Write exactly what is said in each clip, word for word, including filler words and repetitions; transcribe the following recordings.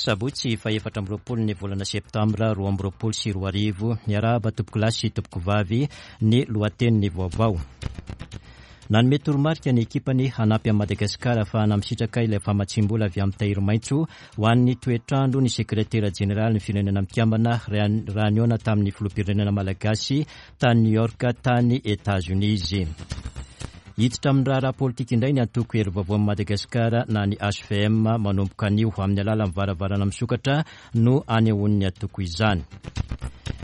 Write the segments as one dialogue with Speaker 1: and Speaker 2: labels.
Speaker 1: Sabotsy fahefatra amby roapolo ny volana septambra roa amby roapolo sy roa arivo. Miarahaba tompokolahy sy tompokovavy. Ny lohatenin'ny vaovao. Nanome toromarika ny ekipany hanampy an'i Madagasikara ahafahana misitraka ilay famatsiam-bola avy amin'ny tahiry maitso ho an'ny toetrandro ny sekretera jeneralin'ny Firenena Mikambana, raha nihaona tamin'ny filoham-pirenena malagasy tany New York tany Etazonia izy. Hiditra amin'ny raharaha politika indray ny antoko Hery Vaovaon'i Madagasikara na ny H V M manomboka anio. Amin'ny alalan'ny varavarana misokatra no anehoan'ny antoko izany.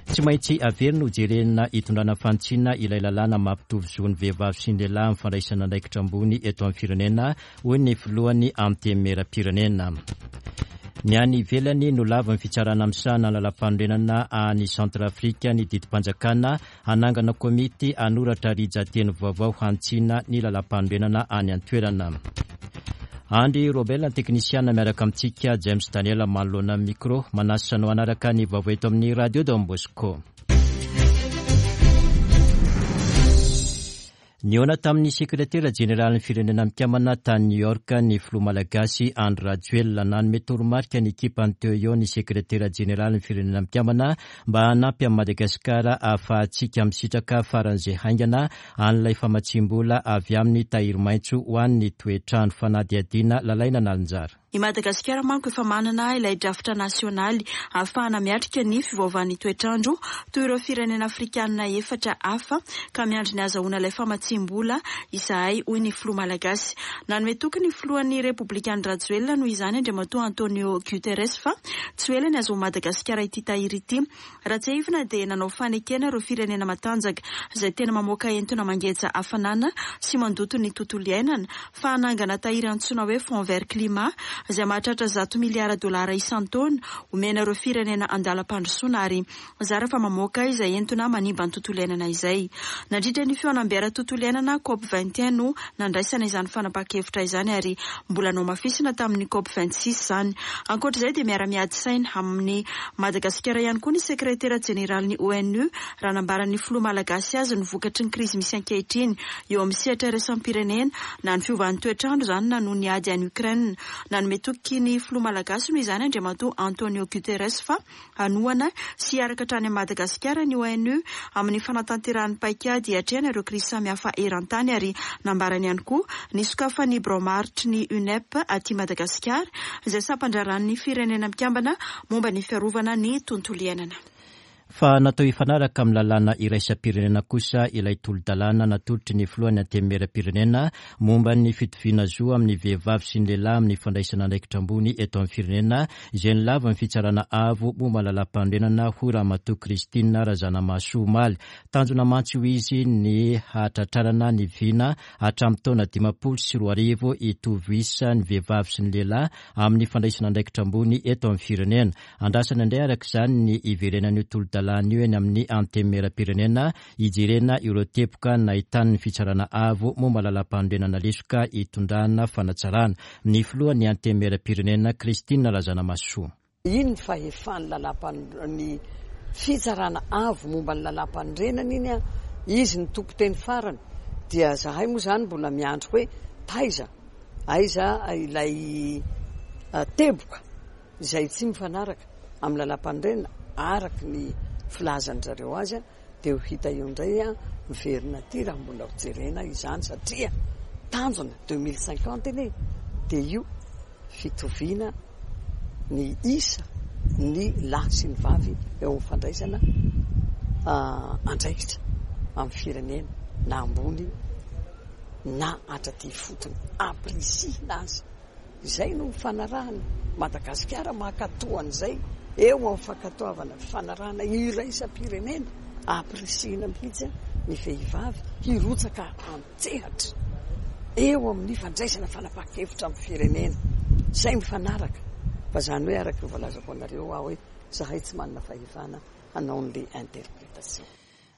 Speaker 1: Tsy maintsy averina ho jerena hitondrana fanitsiana ilay lalàna mampitovy zo ny vehivavy sy ny lehilahy amin'ny fandraisana andraikitra ambony eto amin'ny firenena, hoy ny filohan'ny Antenimieram-pirenena. Ny any ivelany, nolavin'ny fitsarana misahana lalam-panorenana any Centrafrika ny didim-panjakana hanangana komity hanoratra rijan-teny vaovao hanitsiana ny lalam-panorenana any an-toerana. Andry Robel ny teknisiana miaraka amintsika, James Daniel manoloana micro, manasa anao hanaraka ny vaovao eto amin'ny Radio Don Bosco. Nihaona tamin'ny sekretera jeneralin'ny Firenena Mikambana tany New York ny filoha malagasy Andry Rajoelina. Nanome toromarika ny ekipany teo eo ny sekretera jeneralin'ny Firenena Mikambana mba hanampy amin'i Madagasikara ahafahantsika misitraka faran'izay haingana an'ilay famatsiam-bola avy amin'ny tahiry maitso ho an'ny toetrandro. Fanadihadiana Lalaina Nalinjara.
Speaker 2: I Madagasikara manko efa manana ilay drafitra nasionaly ahafahana miatrika ny fiovaovan'ny toetrandro toy ireo firenena afrikanina efatra hafa, ka miandry ny ahazoana ilay famatsiam-bola izahay, hoy ny filoha malagasy. Nanome toky ny filohan'ny Repoblika Andry Rajoelina noho izany Andriamatoa Antonio Guterres fa tsy ho ela ny ahazoan'i Madagasikara ity tahiry ity. Raha tsiahivina dia nanao fanekena ireo firenena matanjaka izay tena mamoaka entona mangeja hafanana sy mandoto ny tontolo iainana fa hanangana tahiry antsoina hoe Fonds vert climat izay mahatratra zato miliara dolara isan-taona omena ireo firenena andalam-pandrosoana ary zara fa mamoaka izay entona manimba ny tontolo iainana izay. Nandritra ny fihaonambe ara-tontolo iainana COP vingt et un no nandraisana izany fanapahan-kevitra izany ary mbola nohamafisina tamin'ny COP vingt six izany. Ankoatra izay dia miara-miady saina amin'ny Madagasikara ihany koa ny sekretera jeneralin'ny O N U raha nambaran'ny filoha malagasy azy ny vokatry ny krizy misy ankehitriny eo amin'ny sehatra iraisam-pirenena, na ny fiovan'ny toetrandro izany na noho ny ady any Ukraine. Nanome toky ny filoha malagasy noho izany Andriamatoa Antonio Guterres fa hanohana sy hiaraka hatrany Madagasikara ny O N U amin'ny fanatanterahany paikady hiatrehana ireo krizy samihafa eran-tany, ary nambarany ihany koa ny sokafan'ny birao maharitry ny UNEP aty Madagasikara izay sampandraharahan'ny Firenena Mikambana momba ny fiarovana ny tontolo iainana.
Speaker 1: Fa natao hifanaraka amin'ny lalàna iraisam-pirenena kosa ilay tolo-dalàna natolotry ny filohan'ny Antenimieram-pirenena momba ny fitoviana zo amin'ny vehivavy sy ny lehilahy amin'ny fandraisana andraikitra ambony eto amin'ny firenena, izay nolavin'ny fitsarana avo momba lalam-panorenana, hoy Ramatoa Christine Razanamahasoa omaly. Tanjona mantsy, hoy izy, ny hatratrarana ny vina hatramin'ny taona dimampolo sy roa arivo hitovy isa ny vehivavy sy ny lehilahy amin'ny fandraisana andraikitra ambony eto amin'ny firenena. Andrasana indray araka izany ny iverenan'io tolo-dalàna io eny amin'ny Antenimieram-pirenena hijerena ireo teboka nahitan'ny fitsarana avo momba lalam-panorenana lesoka hitondrana fanatsarana. Ny filohan'ny Antenimieram-pirenena, Christine Razanamahasoa.
Speaker 3: Iny ny fahefan'ny lalàm-ny fitsarana avo momba ny lalàm-panorenana iny a izy ny tompo teny farany, dia zahay moa zany mbola miandro hoe taiza aiza ilay teboka izay tsy mifanaraka amin'ny lalàm-panorenana araky ny filazany zareo azy a dia ho hita eo indray a miverina aty raha mbola hojerena izany, satria tanjona deux mille cinquante iny dia io fitoviana ny isa ny lahy sy ny vavy eo amin'ny fandraisana andraikitra amin'ny firenena, na ambony na hatraty fotony, ampirisihina azy izay no fanarahana Madagasikara mankatoan'izay eo amin'ny fankatoavana fanarahana iraisam-pirenena, ampirisihina mihitsy ny vehivavy hirotsaka an-tsehatra eo amin'ny fandraisana fanapahan-kevitra amin'ny firenena zay mifanaraka. Fa zany hoe araka ny voalazako anareo aho hoe zahay tsy manana fahefana hanao n'le interprétation.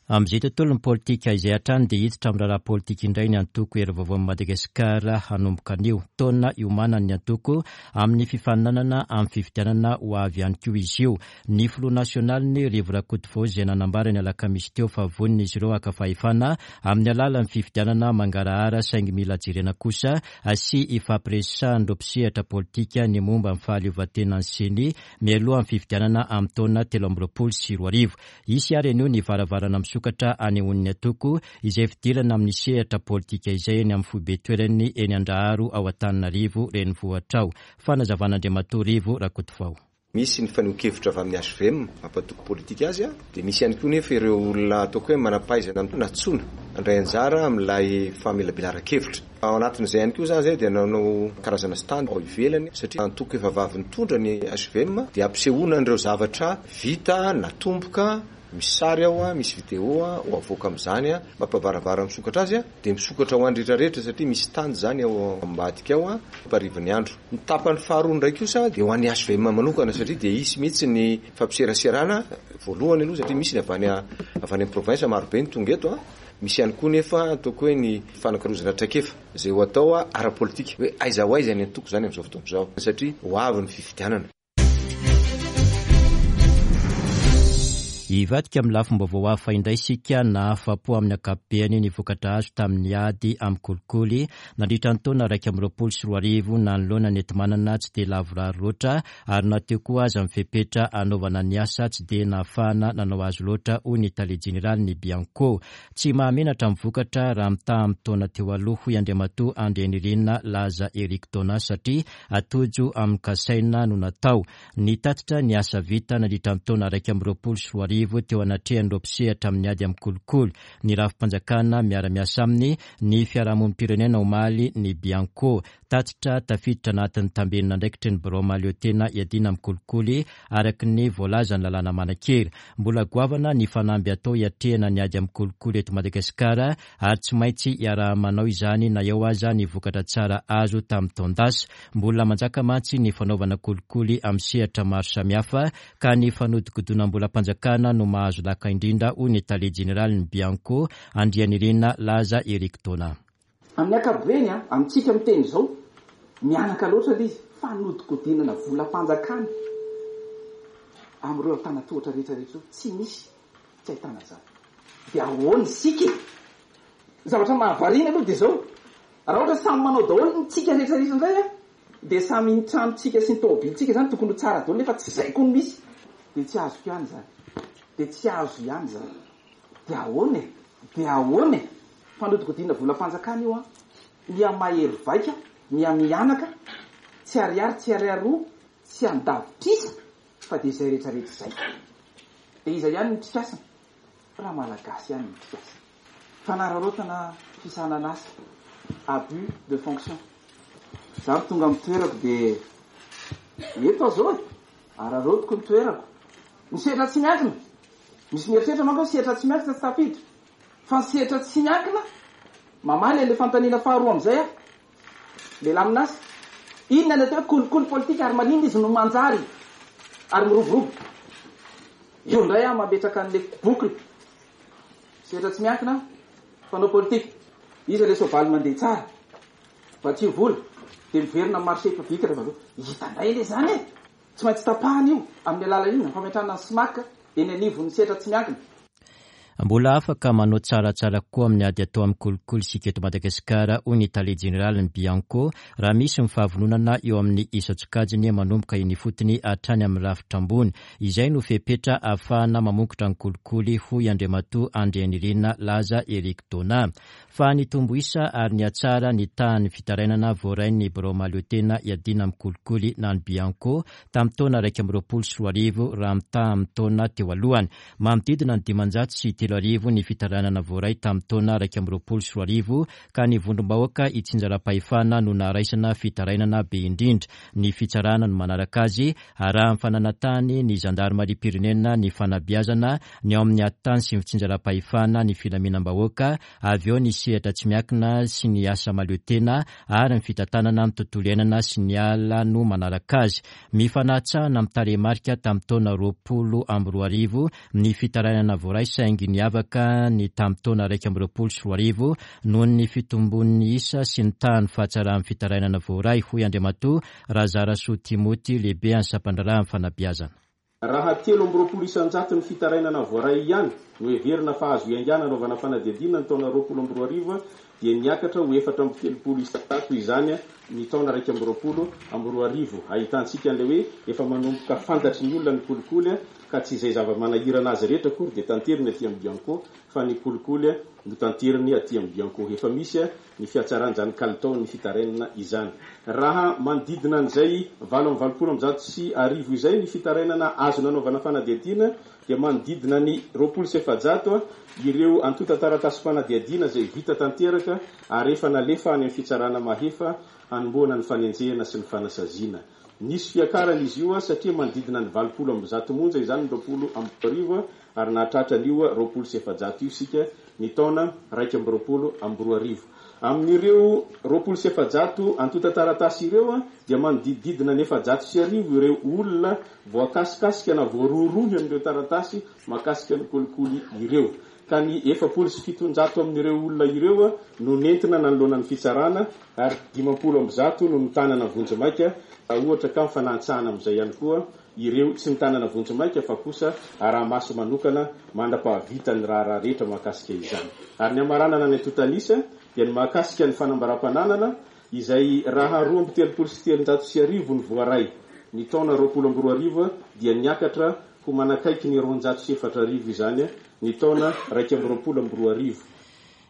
Speaker 1: Amin'izay tontolon'ny politika izay hatrany dia hiditra amin'ny raharaha politika indray ny antoko Hery Vaovaon'i Madagasikara hanomboka anio. Taona iomanan'ny antoko amin'ny fifaninanana amin'ny fifidianana ho avy ihany koa izy io. Ny filoha nasionaliny Rivo Rakotovao izay nanambara ny alakamisy teo fa vonona izy ireo haka fahefana amin'ny alalan'ny fifidianana mangarahara, saingy mila jerena kosa sy ifampiresahan'ireo mpisehatra politika ny momba ny fahaleovantenan'ny CENI mialoha amin'ny fifidianana amin'ny taona telo amby roapolo sy roa arivo. Hisy ary anio ny varavarana misokatra anehoan'ny antoko izay fidirana amin'ny sehatra politika izay eny amin'ny foibe toerany eny Andraharo ao Antananarivo renivohitra ao. Fanazavan'Andriamatoa Rivo Rakotovao.
Speaker 4: Misy ny fanehoan-kevitra avy amin'ny H V M mampatoky politika azy, dia misy ihany koa nefa ireo olona ataoko hoe manam-pahaizana nantsoina handray anjara amin'ilay famelabelaran-kevitra. Ao anatin'izay ihany koa izany izay dia nanao karazana stand ao ivelany, satria antoko efa vavy nitondra ny H V M dia ampisehoana an'ireo zavatra vita natomboka, misy sary ao, misy vidéo ho avoaka amin'izany, mampavarabara misokatra azy, dia misokatra ho an'ny rehetrarehetra satria misy stand izany ao ambadika ao amparivon'ny andro. Ny tapany faharoa indray kosa dia ho an'ny H V M manokana, satria dia hisy mihitsy ny fampiseraserana voalohany aloha, satria misy ny avy any avy any amin'ny province marobe ny tonga eto. Misy ihany koa nefa ataoko hoe ny fanakalozana traikefa izay ho atao ara-politika, hoe aiza ho aiza ny antoko izany amin'izao fotoana izao, satria ho avy ny fifidianana.
Speaker 1: Hivadika amin'ny lafim-baovao hafa indray isika. Nahafa-po amin'ny ankapobeny ny vokatra azo tamin'ny ady amin'ny kolikoly nandritra ny taona iraika amby roapolo sy roa arivo nanoloana ny enti-manana tsy dia lavorary loatra, ary na teo koa aza ny fepetra hanaovana ny asa tsy dia nahafahana nanao azy loatra, hoy ny tale jeneralin'ny Bianco. Tsy mahamenatra ny vokatra raha mitaha amin'ny taona teo aloha, hoy Andriamatoa Andrianirina Laza Eric Dona, satria atojo amin'ny kasaina no natao. Nitatitra ny asa vita nandritra ny taona iraika amby roapolo sy roa arivo teo anatrehan'ireo mpisehatra amin'ny ady amin'ny kolikoly, ny rafi-panjakana miara-miasa aminy, ny fiarahamonim-pirenena omaly ny Bianco. Tatitra tafiditra anatin'ny tambenina andraikitry ny birao mahaleo tena iadiana amin'ny kolikoly araka ny voalazan'ny lalàna manan-kery. Mbola goavana ny fanamby atao hiatrehana ny ady amin'ny kolikoly eto Madagasikara, ary tsy maintsy iaraha-manao izany na eo aza ny vokatra tsara azo tamin'ny taon-dasa. Mbola manjaka mantsy ny fanaovana kolikoly amin'ny sehatra maro samihafa, ka ny fanodikodinam-bolam-panjakana no mahazo laka indrindra, hoy ny tale jeneralin'ny Bianco, Andrianirina Laza Eric Dona.
Speaker 5: Amin'ny ankapobeny, amintsika miteny izao, mianaka loatra ilay izy, fanodikodinana volam-panjakana amin'ireo antanatohatra rehetrarehetra ireo, tsy misy tsy ahitana izany. Dia ahoana isika e? Ny zavatra mahavariana aloha dia izao, raha ohatra samy manao daholo ny tsika rehetrarehetra indray, a, dia samy ny tranontsika sy ny tomobilintsika izany tokony ho tsara daholo, nefa tsy izay koa no misy. Dia tsy azoko ihany izany. Dia tsy azo ihany izany. Dia ahoana e? Dia ahoana e? Fanodikodinana volam-panjakana io, a, miha-mahery vaika, miha-mihanaka, tsy ariary, tsy ariary roa, tsy andavitrisa, fa dia izay rehetrarehetra izay. Dia iza ihany no mpikasana? Raha malagasy ihany no mpikasana. Fanararaotana fisahanan'asa, abus de fonction. Izaho tonga amin'ny toerako dia eto aho izao e, araraotiko ny toerako. Ny sehatra tsy miankina, misy mieritreritra manko hoe sehatra tsy miankina tsy tafiditra. Fa ny sehatra tsy miankina, mamaly an'ilay fanontaniana faharoa amin'izay aho. Lehilahy amin'asa, inona ny atao hoe kolikoly politika ary maninona izy no manjary ary miroborobo? Io indray aho mametraka an'ilay boucle. Sehatra tsy miankina, mpanao politika. Iza ilay soavaly mandeha tsara? Vatsio vola, dia miverina amin'ny marché public rehefa avy eo. Hita indray ilay izany e! Tsy maintsy tapahana io amin'ny alalan'inona? Ny fametrahana ny SMAC eny anivon'ny sehatra tsy miankina.
Speaker 1: Mbola afaka manao tsaratsara kokoa amin'ny ady atao amin'ny kolikoly isika eto Madagasikara, hoy ny tale jeneralin'ny Bianco, raha misy ny fahavononana eo amin'ny isan-tsokajiny manomboka eny ifotony hatrany amin'ny rafitra ambony. Izay no fepetra ahafahana mamongotra ny kolikoly, hoy Andriamatoa Andrianirina Laza Eric Dona. Fa nitombo isa ary nihatsara ny tahan'ny fitarainana voarain'ny birao mahaleo tena iadiana amin'ny kolikoly na ny Bianco tamin'ny taona iraika amby roapolo sy roa arivo raha mitaha amin'ny taona teo alohany. Manodidina ny dimanjato sy telo arivo ny fitarainana voaray tamin'ny taona iraika amby roapolo sy roa arivo, ka ny vondrom-bahoaka itsinjaram-pahefana no naharaisana fitarainana be indrindra. Ny fitsarana no manaraka azy, arahan'ny fananantany ny zandarimariam-pirenena, ny fanabeazana, ny ao amin'ny ady tany sy ny fitsinjaram-pahefana, ny filaminam-bahoaka, avy eo ny sehatra tsy miankina sy ny asa mahaleo tena ary ny fitantanana ny tontolo iainana sy ny ala no manaraka azy. Mifanatsahana amin'ny tarehimarika tamin'ny taona roapolo amby roa arivo ny fitarainana voaray, saingy ny Niavaka ny tamin'ny taona iraika amby roapolo sy roa arivo noho ny fitombon'ny isa sy ny tahan'ny fahatsaran'ny fitarainana voaray, hoy Andriamatoa Razarasoa Timoty, lehibe an'ny sampan-draharahan'ny fanabeazana.
Speaker 6: Raha telo amby roapolo isan-jato ny fitarainana voaray ihany no heverina fa azo iaingana anaovana fanadihadiana ny taona roapolo amby roa arivo, dia niakatra ho efatra amby telopolo isan-jato izany ny taona iraika amby roapolo amby roa arivo. Ahitantsika an'ilay hoe efa manomboka fantatry ny olona ny kolikoly, ka tsy izay zava-manahirana azy rehetra akory dia tanteriny aty amin'ny Bianco, fa ny kolikoly no tanteriny aty amin'ny Bianco. Efa misy ny fihatsaran'izany kalitaon'ny fitarainana izany. Raha manodidina an'izay valo amby valopolo amby zato sy arivo izay ny fitarainana azo nanaovana fanadihadiana, dia manodidina ny roapolo sy efajato ireo antontan-taratasy fanadihadiana izay vita tanteraka ary efa nalefa any amin'ny fitsarana mahefa hanombohana ny fanenjehana sy ny fanasaziana. Nisy fiakarana izy io satria manodidina ny valopolo amby zato monja izany ny roapolo amby arivo, ary nahatratra an'io roapolo sy efajato io isika ny taona raika amby roapolo amby roa arivo. Amin'ireo roapolo sy efajato antontan-taratasy ireo dia manodidididina ny efajato sy arivo ireo olona voakasikasika na voarohirohy amin'ireo taratasy mahakasika ny kolikoly ireo, ka ny efapolo sy fitonjato amin'ireo olona ireo no nentina nanoloana ny fitsarana, ary dimampolo amby zato no notanana vonjimaika. Ohatra ka mifanantsahana amin'izay ihany koa ireo tsy notanana vonjimaika fa kosa araha-maso manokana mandra-pahavita ny raharaha rehetra mahakasika izany. Ary ny amaranana ny antontanisa dia ny mahakasika ny fanambaram-pananana, izay raha roa amby telopolo sy telonjato sy arivo ny voaray ny taona roapolo amby roa arivo, dia niakatra ho manakaiky ny roanjato sy efatra arivo izany ny taona raika amby roapolo amby roa arivo.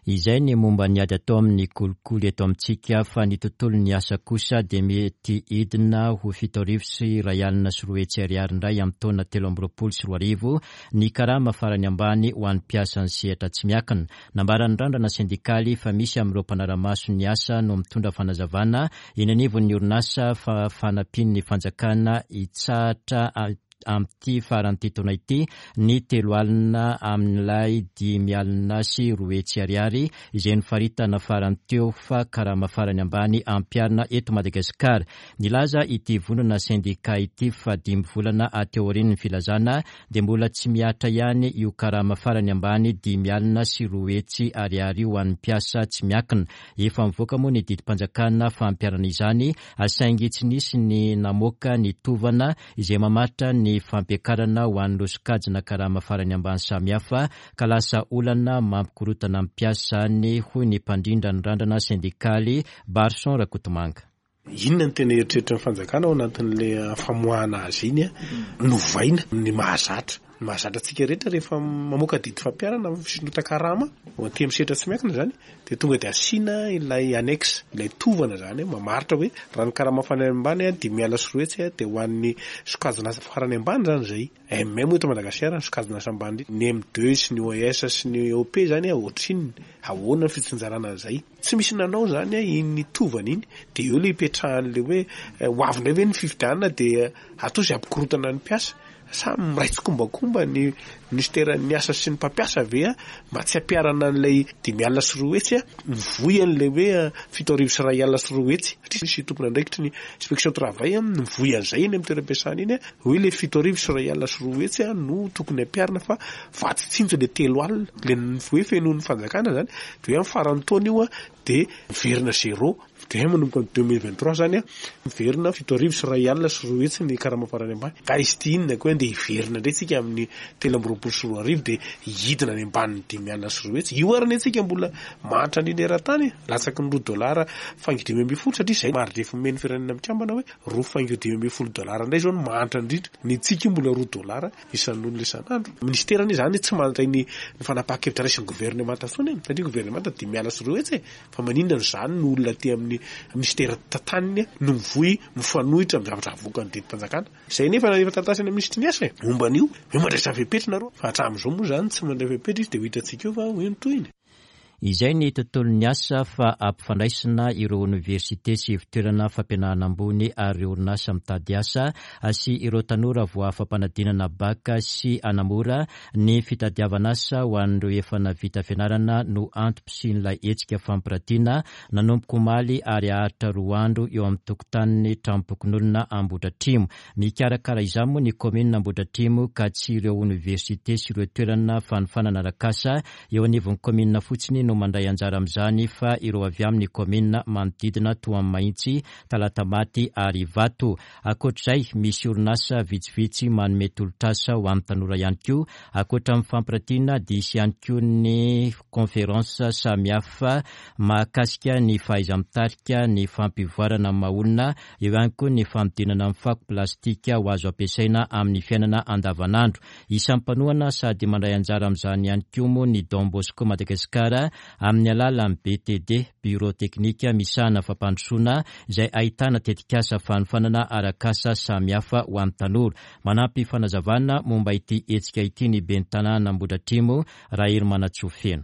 Speaker 1: Izay ny momba ny ady atao amin'ny kolikoly eto amintsika, fa ny tontolo ny asa kosa dia mety hidina ho fito arivo sy iray alina sy roa hetsy ariary indray amin'ny taona telo amby roapolo sy roa arivo ny karama farany ambany ho an'ny mpiasan'ny sehatra tsy miankina. Nambaran'ny Randrana sendikaly fa misy amin'ireo mpanara-maso ny asa no mitondra fanazavana eny anivon'ny orinasa fa fanampian'ny fanjakana hitsahatra amin'ity faran'ity taona ity ny telo alina amin'ilay dimy alina sy roa hetsy ariary izay nofaritana farany teo fa karama farany ambany ampiharina eto Madagasikara. Nilaza ity vondrona sendika ity fa dimy volana aty aorian'ny filazana dia mbola tsy mihatra ihany io karama farany ambany dimy alina sy roa hetsy ariary io ho an'ny mpiasa tsy miankina. Efa mivoaka moa ny didim-panjakana fampiharana izany, saingy tsy nisy ny namoaka ny tovana izay mamaritra ny fampiakarana ho an'ireo sokajina karama farany ambany samihafa, ka lasa olana mampikorotana amin'ny mpiasa ny, hoy ny mpandrindra ny Randrana sendikaly, Barson Rakotomanga.
Speaker 7: Inona ny tena eritreritry ny fanjakana ao anatin'le famoahana azy iny? A novaina ny mahazatra ny mahazatra antsika rehetra: rehefa mamoaka didy fampiharana fisondrotan-karama aty amin'ny sehatra tsy miankina zany, de tonga de asiana ilay annexe, ilay tovana zany mamaritra hoe raha ny karama farany ambany a dimy alina sy roa hetsy a, de ho an'ny sokajina farany ambany zany zay M M eto Madagasikara, ny sokajina asa ambany, ny M deux sy ny O S sy ny O P zany a ohatrinona, ahoana ny fitsinjarana an'izay? Tsy misy nanao zany a iny tovana iny. De eo le ipetrahan'le hoe ho avy indray ve ny fifidianana, de atao zay hampikorotana ny mpiasa, sa miray tsikombakomba ny ministeran'ny asa sy ny mpampiasa ve a mba tsy hampiharana an'ilay dimy alina sy roa hetsy a, mivoy an'ilay hoe fito arivo sy iray alina sy roa hetsy, satria misy tompon'andraikitry ny inspection travail mivoy an'izay eny amin'ny toeram-piasana iny a hoe le fito arivo sy iray alina sy roa hetsy a no tokony hampiharina, fa vatsy tsinjo le telo alina le hoe fenoin'ny fanjakana zany, de hoe amin'ny faran'ny taona io a de miverina zéro, de manomboka ny deux mille vingt trois zany a miverina fito arivo sy iray alina sy roa hetsy ny karama farany ambany. Ka izy ty inona koa, andeha hiverina indray tsika amin'ny telo amby roapolo sy roa arivo de hidina any ambanin'ny dimy alina sy roa hetsy io, ary ny antsika mbola mahantra indrindra eran-tany, latsaky ny roa dolara faingo dimy amby folo, satria zay maridrefy omeny firenena mikambana hoe roa faingo dimy amby folo dolara indray zao no mahantra indrindra, ny antsika io mbola roa dolara isan'olona isan'andro. Ministera anie zany tsy mandray ny ny fanapahan-kevitra raisin'ny gouvernemanta intsony e, satria gouvernemanta dimy alina sy roa hetsy e, fa maninona no zany no olona aty amin'ny ministera tantaniny no mivoy mifanohitra amin'ny zavatra avoakan'ny didim-panjakana zay? Nefa efa taratasy any minisitry ny asa e momba an'io hoe mandraisa fepetra nareo, fa hatramin'izao moa zany tsy mandray fepetra izy, de ho hitantsika eo fa hoe ny tohiny.
Speaker 1: Izay ny tontolon'ny asa fa ampifandraisina ireo oniversite sy ivontoerana fampianarana ambony ary ireo orinasa mitady asa sy ireo tanora voafa-panadinana baka sy hanamora ny fitadiavana asa ho an'ireo efa navita fianarana no antom-pisian'ilay hetsika fampiratiana nanomboka omaly ary haharitra roa andro eo amin'ny tokotanin'ny tranom-pokonolona Ambohidratrimo. Mikarakara izany moa ny kaominina Ambohidratrimo ka tsy ireo oniversite sy ireo toerana fanofanana arak'asa eo anivon'ny kaominina fotsiny no mandray anjara amin'izany fa ireo avy amin'ny kaominina manodidina toa an'i Mahitsy, Talatamaty ary Ivato. Ankoatr'izay, misy orinasa vitsivitsy manome tolotr'asa ho an'ny tanora ihany koa. Ankoatra ny fampiratiana dia hisy ihany koa ny conférence samihafa mahakasika ny fahaiza-mitarika, ny fampivoarana ny maha-olona, eo ihany koa ny fanodinana ny fako plastika ho azo ampiasaina amin'ny fiainana andavanandro. Isan'ny mpanohana sady mandray anjara amin'izany ihany koa moa ny Don Bosco Madagasikara amin'ny alalan'ny B T D, Bureau Teknika misahana fampandrosoana, izay ahitana tetikasa fanofanana arak'asa samihafa ho an'ny tanora. Manampy fanazavana momba ity hetsika ity ny ben'ny tanàna Ambohidratrimo, Raherimanantsoa Feno.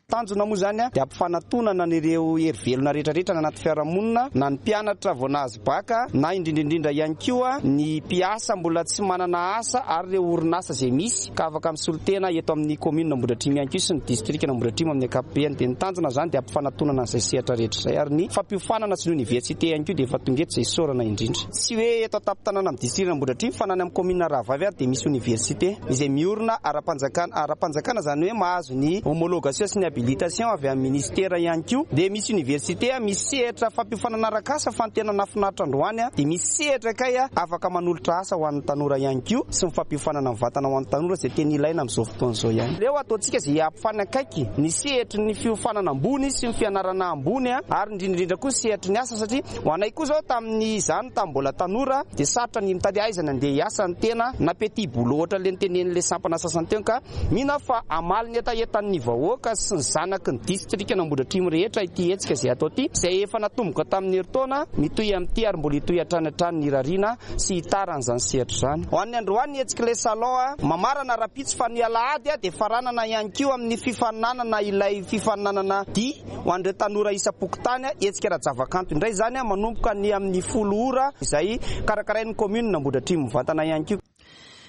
Speaker 8: Tanjona moa zany a dia ampifanatonana an'ireo hery velona rehetrarehetra na anaty fiarahamonina, na ny mpianatra vao nahazo baka, na indrindraindrindra ihany koa ny mpiasa mbola tsy manana asa, ary ireo orinasa izay misy ka afaka misolo tena eto amin'ny commune Ambohidratrimo ihany koa sy ny district Ambohidratrimo amin'ny ankapobeny. Dia ny tanjona zany dia ampifanatonana an'izay sehatra rehetra izay, ary ny fampiofanana sy ny université ihany koa dia efa tonga eto, izay isaorana indrindra. Tsy hoe eto an-tampon-tanàna amin'ny district Ambohidratrimo fa na any amin'ny commune rahavavy ary dia misy université izay miorina ara-panjakana ara-panjakana zany hoe mahazo ny homologation sy ny habilitation avy amin'ny ministera ihany koa. Dia misy université, misy sehatra fampiofanana arak'asa, fa ny tena nahafinaritra androany a dia misy sehatra kay a afaka manolotra asa ho an'ny tanora ihany koa sy ny fampiofanana mivantana ho an'ny tanora izay tena ilaina amin'izao fotoana izao ihany. Leo ataontsika izay hampifanakaiky ny sehatry ny fiofanana ambony sy ny fianarana ambony a ary indrindraindrindra koa ny sehatry ny asa, satria ho anay koa zao tamin'ny izany tamin'ny mbola tanora dia sarotra ny mitady aizana andeha hiasa ny tena, na petit boulot ohatra le nitenen'le sampana sasany teo, ka mino aho fa hamaly ny hetahetan'ny vahoaka sy ny zanaky ny distrika Ambohidratrimo rehetra ity hetsika izay atao ity, izay efa natomboka tamin'ny herintaona, mitohy amin'ity ary mbola hitohy hatrany hatrany ny irariana sy hitaran'izany sehatra izany. Ho an'ny androany, ny hetsika ilay salon a mamarana rahampitso, fa ny alahady a dia faranana ihany koa amin'ny fifaninanana, ilay fifaninanana di ho an'ireo tanora isam-pokontany, a hetsika ara-javakanto indray zany a manomboka ny amin'ny folo ora, izay karakarain'ny commune Ambohidratrimo mivantana ihany koa.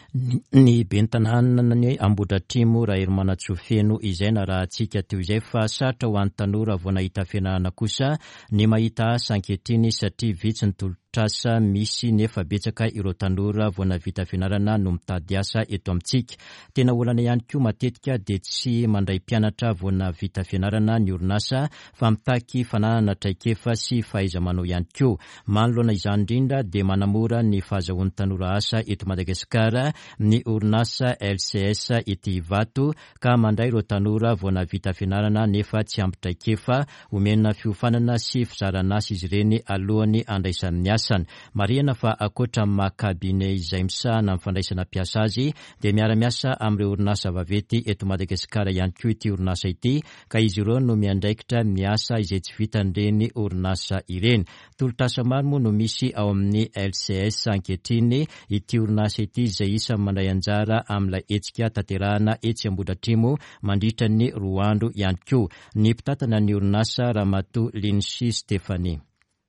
Speaker 1: Ny ben'ny tanàna Ambohidratrimo, Raherimanantsoa Feno, izay narahantsika teo izay. Fa sarotra ho an'ny tanora vao nahita fianarana kosa ny mahita asa ankehitriny satria vitsy ny tolotr'asa misy nefa betsaka ireo tanora vao navita fianarana no mitady asa eto amintsika. Tena olana ihany koa, matetika dia tsy mandray mpianatra vao navita fianarana ny orinasa fa mitaky fananana traikefa sy fahaiza-manao ihany koa. Manoloana izany indrindra dia manamora ny fahazahoan'ny tanora asa eto Madagasikara ny orinasa L C S ety Ivato ka mandray ireo tanora vao navita fianarana nefa tsy ampy traikefa. Omena fiofanana sy fizarana asa izy ireny alohan'ny andraisan'ny asany. Marihina fa ankoatra amin'ny maha cabinet izay misahana amin'ny fandraisana mpiasa azy dia miara-miasa amin'ireo orinasa vaventy eto Madagasikara ihany koa ity orinasa ity, ka izy ireo no miandraikitra ny asa izay tsy vitan'ireny orinasa ireny. Tolotr'asa maro moa no misy ao amin'ny L C S ankehitriny. Ity orinasa ity izay isan'ny mandray anjara amin'ilay hetsika tanterahana etsy Ambohidratrimo mandritra ny roa andro ihany koa. Ny mpitantana ny orinasa, Ramatoa Linsi Stefanie.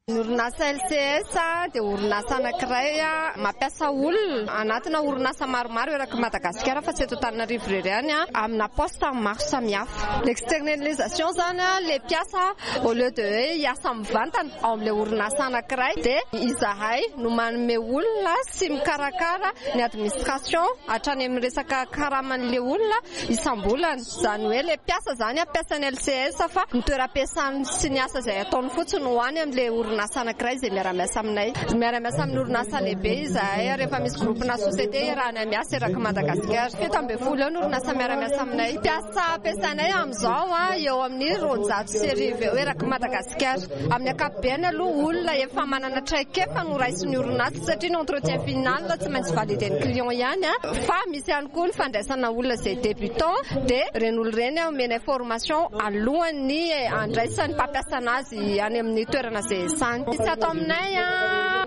Speaker 9: Ny orinasa L C S dia orinasa anankiray mampiasa olona anatina orinasa maromaro eraky Madagasikara fa tsy eto Antananarivo irery ihany, amina poste maro samihafa. L'externalisation zany, le mpiasa au lieu de hoe hiasa mivantana ao amin'ilay orinasa anankiray dia izahay no manome olona sy mikarakara ny administration hatrany amin'ny resaka karaman'le olona isam-bolana. Zany hoe le mpiasa zany ampiasan'ny L C S fa ny toeram-piasany sy ny asa izay ataony fotsiny ho any amin'ilay orinasa anankiray izay miara-miasa aminay. Miara-miasa amin'ny orinasa lehibe izahay rehefa misy groupe na société iarahana miasa eraky Madagasikara. Fito amby folo eo ny orinasa miara-miasa aminay. Mpiasa ampiasainay amin'izao a eo amin'ny roanjato sy arivo eo eraky Madagasikara. Amin'ny ankapobeny aloha, olona efa manana traikefa no raisin'ny orinasa satria ny entretien final tsy maintsy valider-n'ny client ihany a fa misy ihany koa ny fandraisana olona izay débutant, dia ireny olo ireny omenay formation alohan'ny andraisan'ny mpampiasana azy any amin'ny toerana izay. tany. Misy ato aminay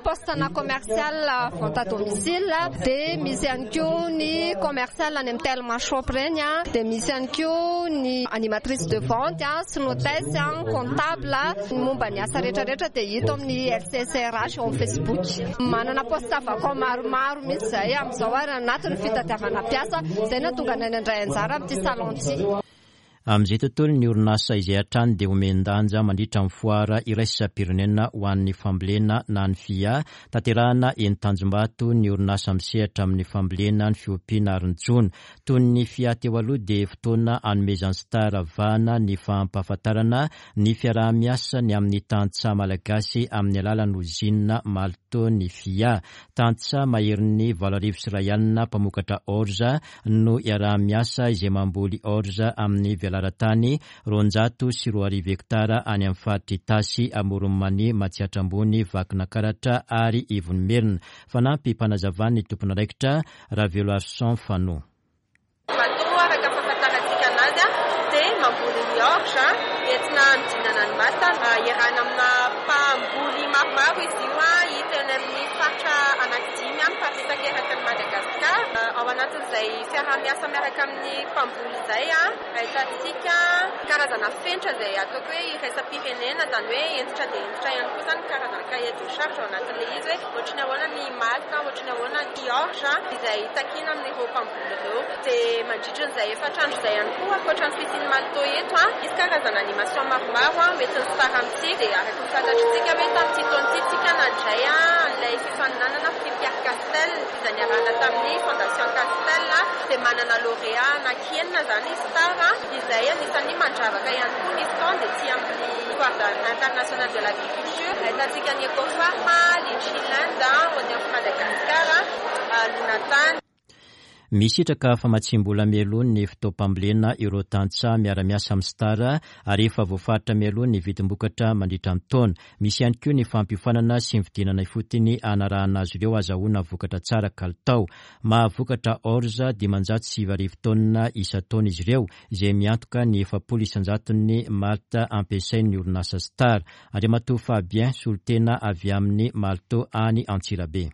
Speaker 9: poste na commercial vente à domicile, dia misy ihany koa ny commercial any amin'ny Telma Shop ireny, dia misy ihany koa ny animatrice de vente sy hôtesse, comptable, ny momba ny asa rehetrarehetra dia hita amin'ny L C S R H eo amin'ny Facebook. Manana poste vacant maromaro mihitsy izahay amin'izao ary anatin'ny fitadiavana mpiasa, izay nahatonga anay nandray anjara amin'ity salon ity.
Speaker 1: Amin'izay tontolo ny orinasa izay hatrany dia omen-danja mandritra ny foara iraisam-pirenena ho an'ny fambolena na ny F I A. Tanterahana eny Tanjombato ny orinasa misehatra amin'ny fambolena, ny fiompiana ary ny jono. Toy ny F I A teo aloha dia fotoana anomezan'ny Star vahana ny fampahafantarana ny fiaraha-miasa ny amin'ny tantsaha malagasy amin'ny alalan'ny ozinina Malto ny F I A. Tantsaha maherin'ny valo arivo sy iray alina mpamokatra orza no iaraha-miasa izay mamboly orza amin'ny velaran-tany roanjato sy roa arivo hektara any amin'ny faritra Itasy, Amoron'i Mania, Matsiatra Ambony, Vakinankaratra ary Ivonimerina. Fanampy mpanazavany ny tompon'andraikitra Raveloarison Fano.
Speaker 10: Matoa araka fahafantarantsika anazy dia mamboly ny orge entina hanodinana ny mata, iarahana amina mpamboly maromaro izy io, hita eny amin'ny faritra anankidimy miparitaka eraky ny Madagasikara. Ao anatin'izay fiaraha-miasa miaraka amin'ny mpamboly izay, ahitantsika karazana fenitra izay ataoko hoe iraisam-pirenena, izany hoe hentitra dia hentitra ihany koa izany karazana cahier de charge ao anatin'ilay izy hoe ohatry ny ahoana ny malta, ohatry ny ahoana ny orge izay takiana amin'ireo mpamboly ireo. Dia mandritra an'izay efatra andro izay ihany koa, ankoatra ny fisian'ny malto eto, misy karazana animation maromaro hoentin'ny Star amintsika. Dia araka ny fantatritsika hoe tamin'ity taona ity tsika nandray an'ilay fifaninanana Prix Pierre Castel izay niarahana tamin'ny Fondation Castel, dia manana lauréat anankienina izany Star izay anisan'ny mandravaka ihany koa ny stand ety amin'ny Foire internationale de l'agriculture. Ahitantsika ny Ecofarm, Litchiland, Onion Madagascar, Lunatany.
Speaker 1: Misitraka famatsiam-bola mialoha ny fotoam-pambolena ireo tantsaha miara-miasa amin'ny Star ary efa voafaritra mialoha ny vidim-bokatra mandritra ny taona. Misy ihany koa ny fampiofanana sy ny fidinana ifotony hanarahana azy ireo azahoana vokatra tsara kalitao. Mahavokatra orza dimanjato sy sivy arivo taonina isan-taona izy ireo izay miantoka ny efapolo isan-jaton'ny malta ampiasain'ny orinasa Star. Andriamatoa Fabien solontena avy amin'ny Malto any Antsirabe.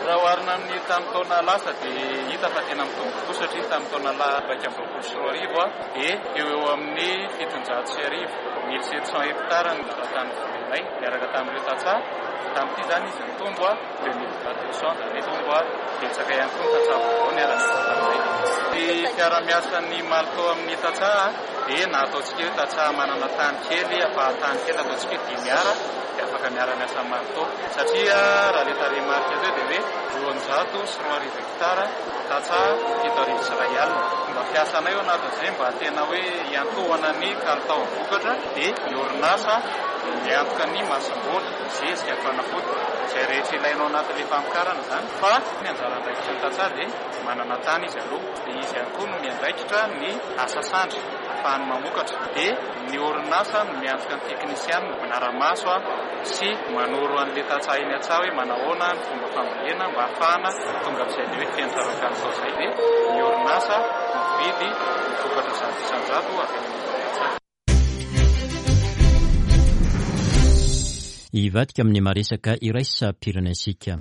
Speaker 11: Raha oharina amin'ny tamin'ny taona lasa dia hita fa tena mitombo tokoa satria tamin'ny taona iraika amby roapolo sy roa arivo dia eo eo amin'ny fitonjato sy arivo, mille sept cents hectares ny tany volenay miaraka tamin'ireo tantsaha. Tamin'ity izany izy nitombo deux mille deux cents, izany hoe nitombo betsaka ihany koa ny tantsaha vaovao niara-niasa taminay. Ny fiaraha-miasan'ny Malto amin'ny tantsaha dia na ataontsika hoe tantsaha manana tany kely, ampahan-tany kely ataontsika hoe dimy ara dia afaka miara-miasa amin'ny Malto satria raha ilay tarehimarika teo dia hoe roanjato sy roa arivo hektara tantsaha fito arivo sy iray alina. Mba fiasanay ao anatin'izay mba tena hoe hiantohana ny kalitao vokatra dia ny orinasa miantoka ny masomboly, zezika, fanafody izay rehetra ilaina ao anatin'ilay famokarana izany. Fa ny anjara andraikitry ny tantsaha dia manana tany izy aloha, dia izy ihany koa no miandraikitra ny asa sandry ahafahany mamokatra, dia ny orinasa no miantoka ny teknisianina manara-maso sy manoro an'ilay tantsaha eny an-tsaha hoe manahoana ny fomba fambolena mba ahafahana tonga amin'izay ilay hoe fenitra ara-kalitao izay. Dia ny orinasa mividy ny vokatra zato isan-jato avy any amin'ny tantsaha.
Speaker 1: Hivadika amin'ny maresaka iraisam-pirenentsika.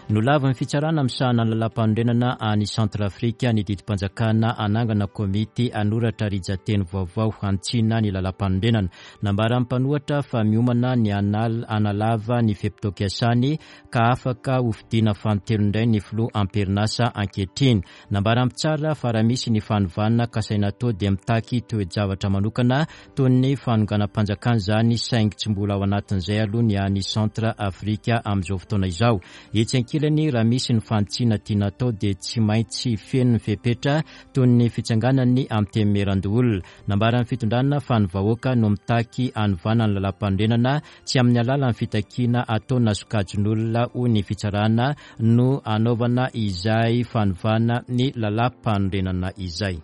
Speaker 1: Nolavin'ny fitsarana misahana ny lalàm-panorenana any Centrafrika ny didim-panjakana hanangana komity hanoratra rijan-teny vaovao hanitsiana ny lalàm-panorenana. Nambaran'ny mpanohatra fa miomana ny hanalava ny fe-potoam-piasany ka afaka hofidiana fanintelony indray ny filoha amperinasa ankehitriny. Nambaran'ny mpitsara fa raha misy ny fanovana kasaina atao dia mitaky toe-javatra manokana toy ny fanonganam-panjakana izany, saingy tsy mbola ao anatin'izay aloha ny any Centrafrika amin'izao fotoana izao. Etsy ankilany, raha misy ny fanitsiana tiana atao dia tsy maintsy feno ny fepetra toy ny fitsanganany antenimierandoholona. Nambaran'ny fitondrana fa ny vahoaka no mitaky hanovana ny lalàm-panorenana, tsy amin'ny alalan'ny fitakiana ataona sokajin'olona hoy ny fitsarana no hanaovana izay fanovana ny lalàm-panorenana izay.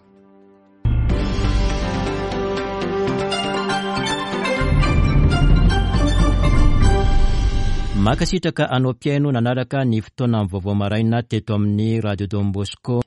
Speaker 1: Mankasitraka anao mpihaino nanaraka ny fotoana vaovao maraina teto amin'ny Radio Don Bosco.